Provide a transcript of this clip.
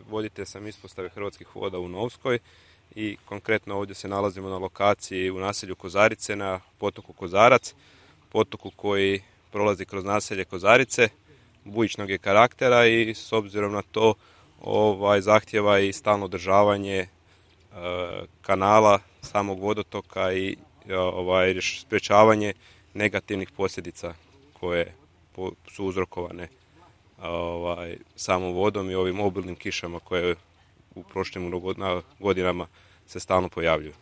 Voditelj sam ispostave Hrvatskih voda u Novskoj i konkretno ovdje se nalazimo na lokaciji u naselju Kozarice na potoku Kozarac, potoku koji prolazi kroz naselje Kozarice, bujičnog je karaktera i s obzirom na to zahtjeva i stalno održavanje kanala, samog vodotoka i sprječavanje negativnih posljedica koje su uzrokovane samom vodom i ovim obilnim kišama koje u prošlim godinama se stalno pojavljuju.